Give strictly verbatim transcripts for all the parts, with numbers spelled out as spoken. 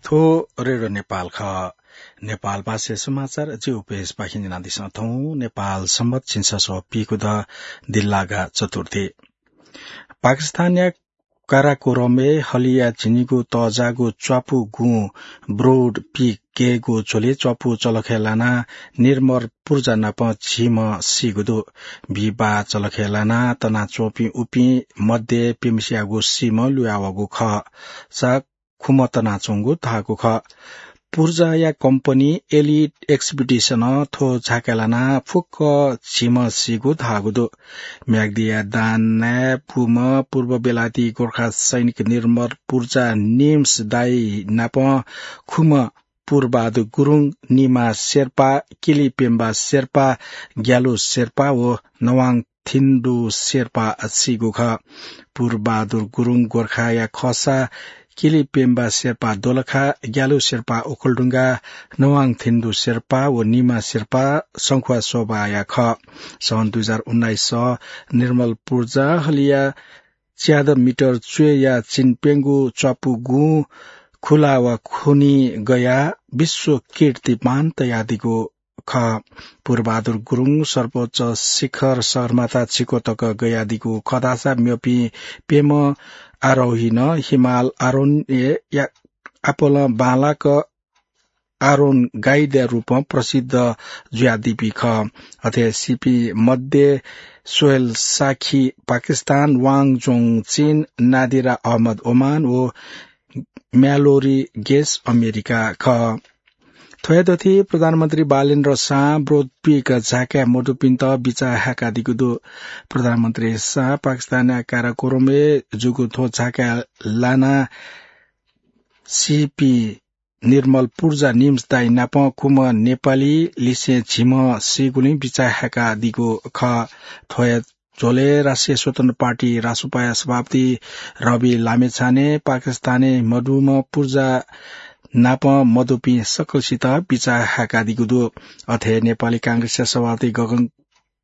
थ्व रेडियो नेपाल खः। नेपाल भाषा समाचार जिगु पेजपाखें न्यनादिसँ थौं। नेपाल संवत झिंछसः पीगू द दिल्लागा चतुर्थी। पाकिस्तानया काराकोरमय् हलिया झिंनिगू तःजाःगु च्वापु गुँ ब्रोड पीक गय्‌गु झ्वलय् च्वापु चलखय् लानाः निर्मल पुर्जा नाप झिम्ह सीगु दु। बिहिबाः चलखय् लानाः तनाच्वंपिं उपिं मध्ये प्यम्हसियागु सीम्ह लुयावःगु खः। सा खुम्ह तनाच्वंगु धाःगु खः। पुर्जाया कम्पनी एलिट एक्सपिडिसनं थ्व झाकाय् लानाः फुक्क झिम्ह सीगु धाःगु दु। म्याग्दीया दानाय् पुम्ह पूर्व बेलायती गोर्खा सैनिक निर्मल पुर्जा निम्स दाइ नाप खुम्ह पुरबहादुर गुरुङ, निमा शेर्पा, किलिपेम्बा शेर्पा, ग्यालु शेर्पा व नवाङ थिन्डु शेर्पा सीगु खः। पुरबहादुर गुरुङ गोर्खाया खःसा किलिपेम्बा शेर्पा दोलखा, ग्यालु शेर्पा ओखलढुङ्गा, नवाङ थिन्डु शेर्पा व निमा शेर्पा संखुवासोभाया खः। सन् दुई हजार उन्नाइस सः निर्मल पुर्जा हलिया च्यादँ मिटर च्वय्‌या चिन्प्यंगू च्वापु गुँ खुला वा खुनी गयाः विश्व कीर्तिमान तयादीगु खः। पुरबहादुर गुरुङ सर्वोच्च शिखर सगरमाथा झिक्व तक गयादीगु खः धाःसा मेपिं प्यम्ह आरोहीनं हिमाल आरोहणय् या-, आपालं बांलाक आरोहण गाइडया रूपं प्रसिद्ध जुयादीपिं खः। अथे सीपिं मध्ये सोहेल साखी पाकिस्तान, वाङ जोङ चीन, नादिरा अहमद ओमान व म्यालोरी गेस अमेरिका खः। थ्वया दथुइ प्रधानमन्त्री बालेन्द्र शाह ब्रोड पीक झाकाय् मदुपिन्त बिचाः हाय्‌कादीगु दु। प्रधानमन्त्री शाह पाकिस्तानया काराकोरमय् जूगु थ्व झाकाय् लानाः सीपिं निर्मल पुर्जा निम्स दाइ नाप खुम्ह नेपाली लिसें झिम्ह सीगुलिं बिचाः हाय्‌कादीगु खः। थ्वया झ्वलय् राष्ट्रिय स्वतन्त्र पार्टी रासोपाया सभापति रवि लामिछाने पाकिस्तानय् मदुम्ह पुर्जा नाप मदुपिं सकलसित बिचाः हाय्‌कादीगु दु। अथे नेपाली कांग्रेसया सभापति गगन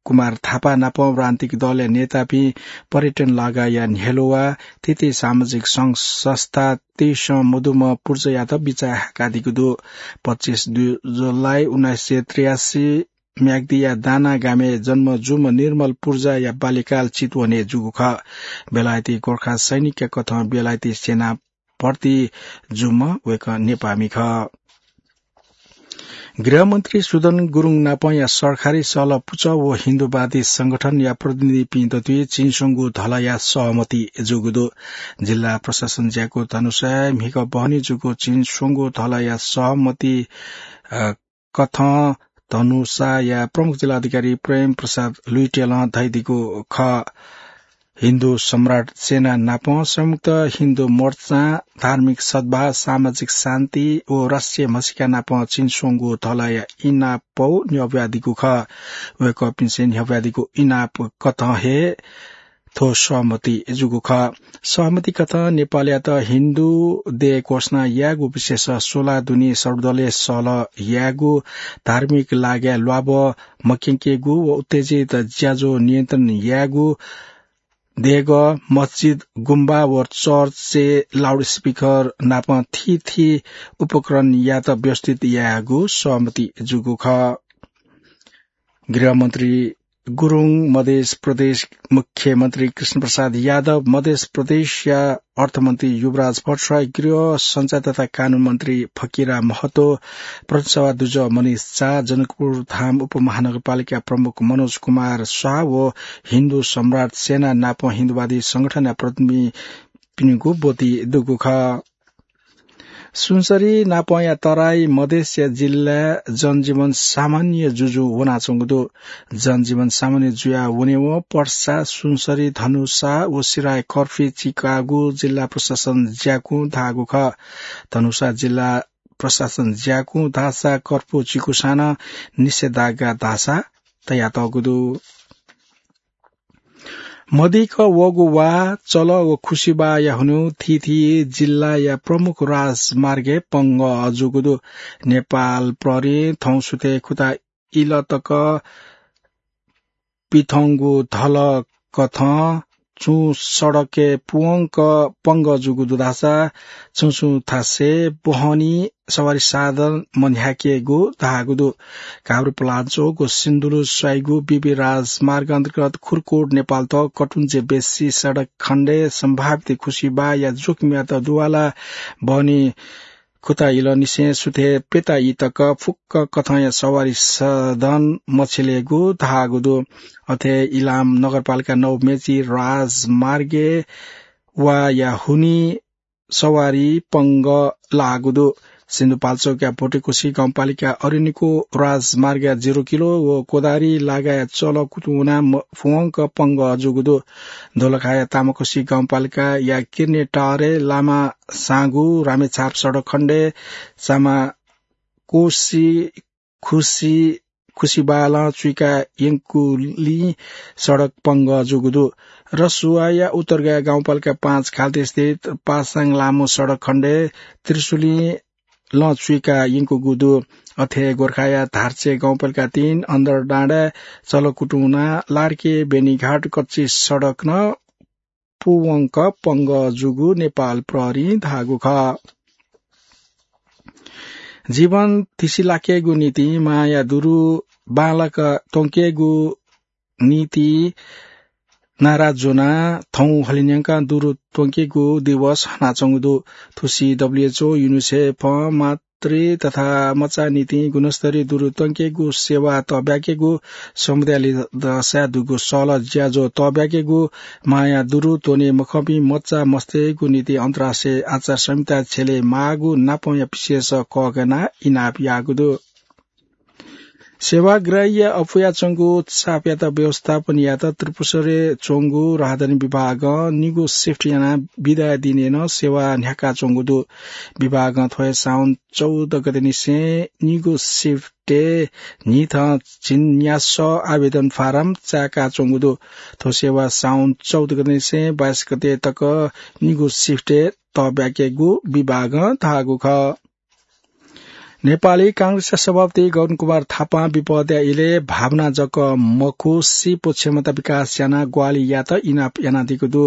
कुमार थापा नाप राजनीतिक दलया नेतापिं, पर्यटन लगायतया न्ह्यलुवा, थीथी सामाजिक संघ संस्था, तेइसं मदुम्ह पुर्जायात बिचाः हाय्‌कादीगु दु। पच्चिस जुलाई उन्नाइस सय त्रियासी म्याग्दीया दाना गामय् जन्म जूम्ह निर्मल पुर्जाया बाल्यकाल चितवनय् जूगु खः। बेलायती गोर्खा सैनिकया कथं बेलायती सेना भर्ती जूम्ह वय्‌कः नेपाःमि खः। गृहमन्त्री सुदन गुरुङ नापंया सरकारी सहलह पुचः व हिन्दुवादी संगठनया प्रतिनिधिपिं दथुइ चिनस्वंगू धलया सहमति जूगु दु। जिल्ला प्रशासन ज्याकू धनुषाय् म्हिगः बहनी जूगु चिनस्वंगू धलया सहमति, अ, कथं धनुषाया प्रमुख जिल्लाधिकारी प्रेम प्रसाद लुइटेलं धयादीगु खः। हिन्दू सम्राट सेना नाप संयुक्त हिन्दू मोर्चां धार्मिक सद्भाव, सामाजिक शान्ति व राष्ट्रिय म्हसीका नाप चिनस्वंगू धलया इनाप न्ह्यब्वयादीगु खः। वय्‌कःपिन्सं न्ह्यब्वयादीगु इनाप कथं हे थ्व सहमति जूगु खः। सहमति कथं नेपालयात हिन्दू देय् घोषणा यायेगु विषयस स्वला दुने सर्वदलीय सहलह यायेगु, धार्मिक लागाय् ल्वाभः मक्यंकेगु व उत्तेजित ज्याझ्वः नियन्त्रण यायेगु, देगः, मस्जिद, गुम्बा व चर्चय् लाउडस्पिकर नाप थीथी उपकरणयात व्यवस्थित यायेगु सहमति जूगु खः। गृहमन्त्री गुरुङ, मधेस प्रदेश मुख्यमन्त्री कृष्णप्रसाद यादव, मधेस प्रदेशया अर्थमन्त्री युवराज भट्टराई, गृह, सञ्चार तथा कानून मन्त्री फकिरा महतो, प्रदेशसभा दुजः मनिष झा, जनकपुरधाम उपमहानगरपालिका प्रमुख मनोज कुमार शाह व हिन्दू सम्राट सेना नाप हिन्दूवादी संगठनया प्रतिनिधिपिनिगु ब्वति दुगु खः। सुनसरी नापंया तराई मधेसया जिल्लाय् जनजीवन सामान्य जुजु वनाच्वंगु दु। जनजीवन सामान्य जुया वनेवं पर्सा, सुनसरी, धनुषा व सिराय कर्फ्यू चीकागु जिल्ला प्रशासन ज्याकुं धाःगु खः। धनुषा जिल्ला प्रशासन ज्याकुं धाःसा कर्फ्यू चीकुसां नं निषेधाज्ञा धाःसा तयातःगु दु। मदिक्क वःगु वा, चलः व खुसिबाःया हुनिं थीथी जिल्लाया प्रमुख राजमार्गय् पंगः जूगु दु। नेपाल प्रहरीं थौंसुथय् खुता इलः तक पिथंगु धलः कथं छुं सडकय् पुवंक पंगः जूगु दु धाःसा छुं छुं थासय् बहनी सवारी साधन मन्ह्याकेगु धाःगु दु। काभ्रेपलाञ्चोक व सिन्धुली स्वाइगु बीबी राजमार्ग अन्तर्गत खुरकोट नेपालत कटुञ्जे बेसी सडक खण्डय् सम्भावित खुसिबाया जोखिमयात दुवाला बहनी खुता इलंनिसें सुथय् प्यता ई तक फुक्क कथंया सवारी साधन मछिलेगु धाःगु दु। अथे इलाम नगरपालिका नौ मेची राजमार्गय् वाया हुनि सवारी पंगः लाःगु दु। सिन्धुपाल्चोकया भोटेकोशी गाउँपालिका अरनिको राजमार्गया जिरो किलो व कोदारी लागाय् चलकुतुना म-, फुवंक पंगः जूगु दु। दोलखाया तामाकोशी गाउँपालिकाया किर्ने टारे लामा साँगु रामेछाप सडक खण्डय् सामा कोशी खुसी, खुसिबालं चुइका यंकुलिं सडक पंगः जूगु दु। रसुवाया उत्तरगाया गाउँपालिका पाँच खाल्टे स्थित पासाङ लामो सडक खण्डय् त्रिशुलिं लं चुइका यंकुगु दु। अथे गोर्खाया धार्चे गाउँपालिका तीन अन्दरडाँडा चलकुटुना लार्के बेनीघाट कच्ची सडक नं पुवंक पंगः जूगु नेपाल प्रहरीं धाःगु खः। जीवन थिसिलाकेगु निंतिं माया दुरु बांलाक त्वंकेगु निंतिं नारा ज्वनाः थौं हलिंन्यंकाः दुरु त्वंकेगु दिवस हनाच्वंगु दु। थुसी डब्ल्युएचओ, युनिसेफं मातृ तथा मचा निंतिं गुणस्तरीय दुरु त्वंकेगु सेवा तःब्याकेगु, समुदायलय् दःसा दुगु सल ज्याझ्वः तःब्याकेगु, माया दुरु त्वने मखंपिं मचा मस्तय्‌गु निंतिं अन्तर्राष्ट्रिय आचार संहिता छ्यले माःगु नापंया विशेष कःघानाः इनाप याःगु दु। सेवाग्राहीया अप्वयाच्वंगु चापयात व्यवस्थापन यायेत त्रिपुरेश्वरय् च्वंगु राहदानी विभागं निगू सिफ्ट यानाः बिदा दिनय् नं सेवा न्ह्याकाच्वंगु दु। विभागं थ्व हे साउन चौध गतेनिसें निगू सिफ्टय् न्हिथं झिंन्यासः आवेदन फारम चाय्‌काच्वंगु दु। थ्व सेवा साउन चौध गतेनिसें बाइस गते तक निगू सिफ्टय् तःब्याकेगु विभागं धाःगु खः। नेपाली कांग्रेसया सभापति गगन कुमार थापां विपदया इलय् भावना जक मखु, सिप व क्षमता विकास यानाः ग्वाहालि यायेत इनाप यानादीगु दु।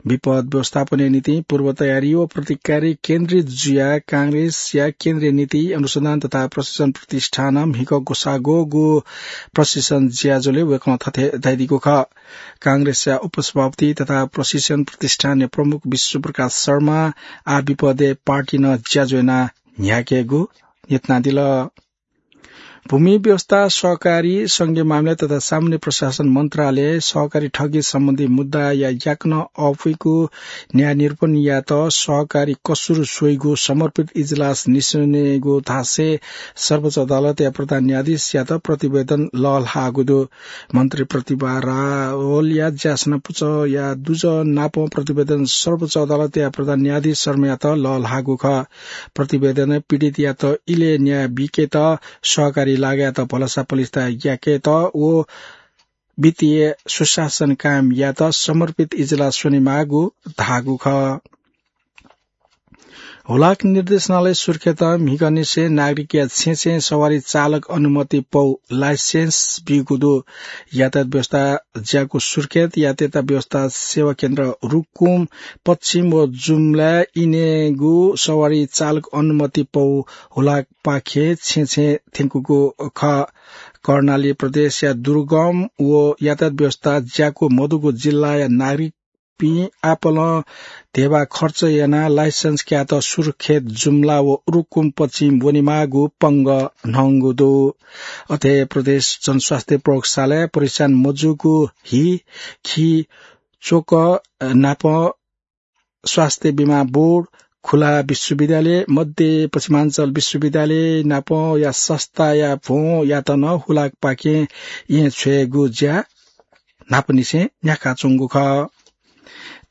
विपद व्यवस्थापनया निंतिं पूर्व तयारी व प्रतिकारी केन्द्रित जुयाः कांग्रेसया केन्द्रीय नीति अनुसन्धान तथा प्रशिक्षण प्रतिष्ठानं म्हिगः ग्वसाःग्वःगु प्रशिक्षण ज्याझ्वलय् वय्‌कलं थथे धयादीगु खः। कांग्रेसया उपसभापति तथा प्रशिक्षण प्रतिष्ठानया प्रमुख विश्वप्रकाश शर्मां आः विपदय् पार्टीनं ज्याझ्वः यानाः न्ह्याकेगु न्ह्यथनादिल। भूमि व्यवस्था, सहकारी, संघीय मामिला तथा सामान्य प्रशासन मन्त्रालय सहकारी ठगी सम्बन्धी मुद्दाया याकनं अःपुइगु न्याय निरूपण यायेत सहकारी कसुर स्वइगु समर्पित इजलास निस्वनेगु धासें सर्वोच्च अदालतया प्रधान न्यायाधीशयात प्रतिवेदन लःल्हाःगु दु। मन्त्री प्रतिभा रावलया ज्यासना पुचःया दुजः नापं प्रतिवेदन सर्वोच्च अदालतया प्रधान न्यायाधीश शर्मायात लःल्हाःगु खः। प्रतिवेदनं पीडितयात इलय् न्याय बीकेत, सहकारी लागायेत भलसा पलिस्था याकेत व वित्तीय सुशासन कायम यायेत समर्पित इजलास स्वनेमाःगु धाःगु खः। हुलाक निर्देशनालय सुर्खेतं म्हिगःनिसें नागरिकया छेँय् छेँय् सवारी चालक अनुमति पौ, लाइसेन्स, ब्यूगु दु। यातायात व्यवस्था ज्याकू सुर्खेत यातायात व्यवस्था सेवा केन्द्र रुकुम पश्चिम व जुम्लाय् इनेगु सवारी चालक अनुमति पौ हुलाकपाखें छेँय् छेँय् थ्यंकूगु खः। कर्णाली प्रदेशया दुर्गम व यातायात व्यवस्था ज्याकू मदुगु जिल्लाया नागरिक पिं आपालं धेबा खर्च यानाः लाइसेन्स कायेत सुर्खेत, जुम्ला व रुकुम पश्चिम वनेमाःगु पंगः न्हंगु दु। अथे प्रदेश जनस्वास्थ्य प्रयोगशालाय् परीक्षण मजूगु हि, खि, चोक नाप स्वास्थ्य बीमा बोर्ड, खुला विश्वविद्यालय, मध्य पश्चिमाञ्चल विश्वविद्यालय नापया संस्थाया भ्वंयात नं हुलाकपाखें येँ छ्वयेगु ज्या न्हापांनिसें न्ह्याकाच्वंगु खः।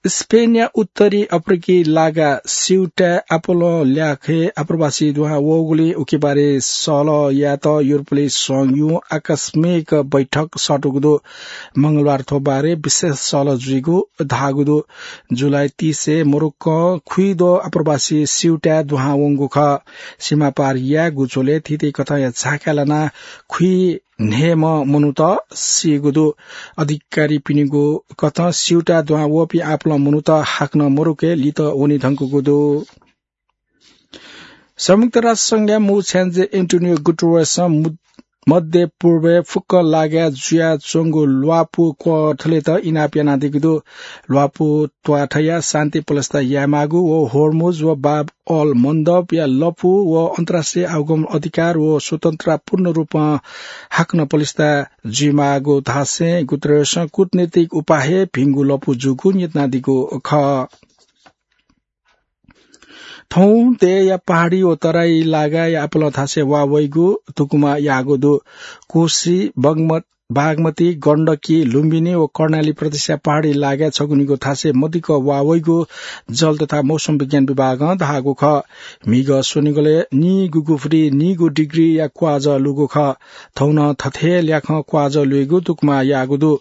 स्पेनया उत्तरी अफ्रिकी लागा सिउटाय् आपालं ल्याखय् आप्रवासी दुहां वःगुलिं उकी बारे सहलह यायेत युरोपली संघं आकस्मिक बैठक सःतूगु दु। मंगलबार थ्व बारे विशेष सहलह जुइगु धाःगु दु। जुलाई तीसय् मोरोक्कों खुइद्वः आप्रवासी सिउटाय् दुहां वंगु खः। सीमापार यायेगु झ्वलय् थीथी कथंया झाकाय् लानाः खुइ न्हय्म्ह मनूत सीगु दु। अधिकारीपिनिगु कथं स्यूता दुहां वःपिं आपालं मनूत हाकनं मरुके लित वने धुंकूगु दु। संयुक्त राष्ट्र संघया मू छ्याञ्जे एन्टोनियो गुटेरेसं मु-, मध्य पूर्वय् फुक्क लागाय् जुयाच्वंगु ल्वापु क्वथलेत इनाप यानादीगु दु। ल्वापु त्वाथया शान्ति पलस्था यायेमाःगु व होर्मुज व बाब अल मन्दबया लपु व अन्तर्राष्ट्रिय आवागमन अधिकार व स्वतन्त्रता पूर्ण रूपं हाकनं पलस्था जुइमाःगु धासें गुतेरेसं कूटनीतिक उपाखे भिंगु लपु जूगु न्यनादीगु खः। थौं देय्‌या पहाडी व तराई लागाय् आपालं थासय् वा वइगु तुकुमा याःगु दु। कोशी, बगमत-, बागमती, गण्डकी, लुम्बिनी व कर्णाली प्रदेशया पहाडी लागाय् छगुनिगु थासय् मदिक्क वा वइगु जल तथा मौसम विज्ञान विभागं धाःगु खः। म्हिगः स्वनिगलय् नीगुगु फुति नीगु डिग्रीया क्वाःजः लूगु खः। थौं नं थथे ल्याखं क्वाःजः लूगु तुकुमा याःगु दु।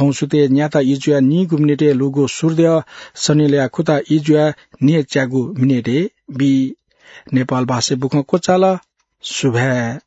थौं सुथय् न्याता इजुया नीगु मिनेटय् लूगु सूर्यद्यः सनिलया खुता इजुया न्हय्‌च्यागु मिनेटय् बी। नेपाल भाषाय् बुखँ क्वचाल। सुभाय्।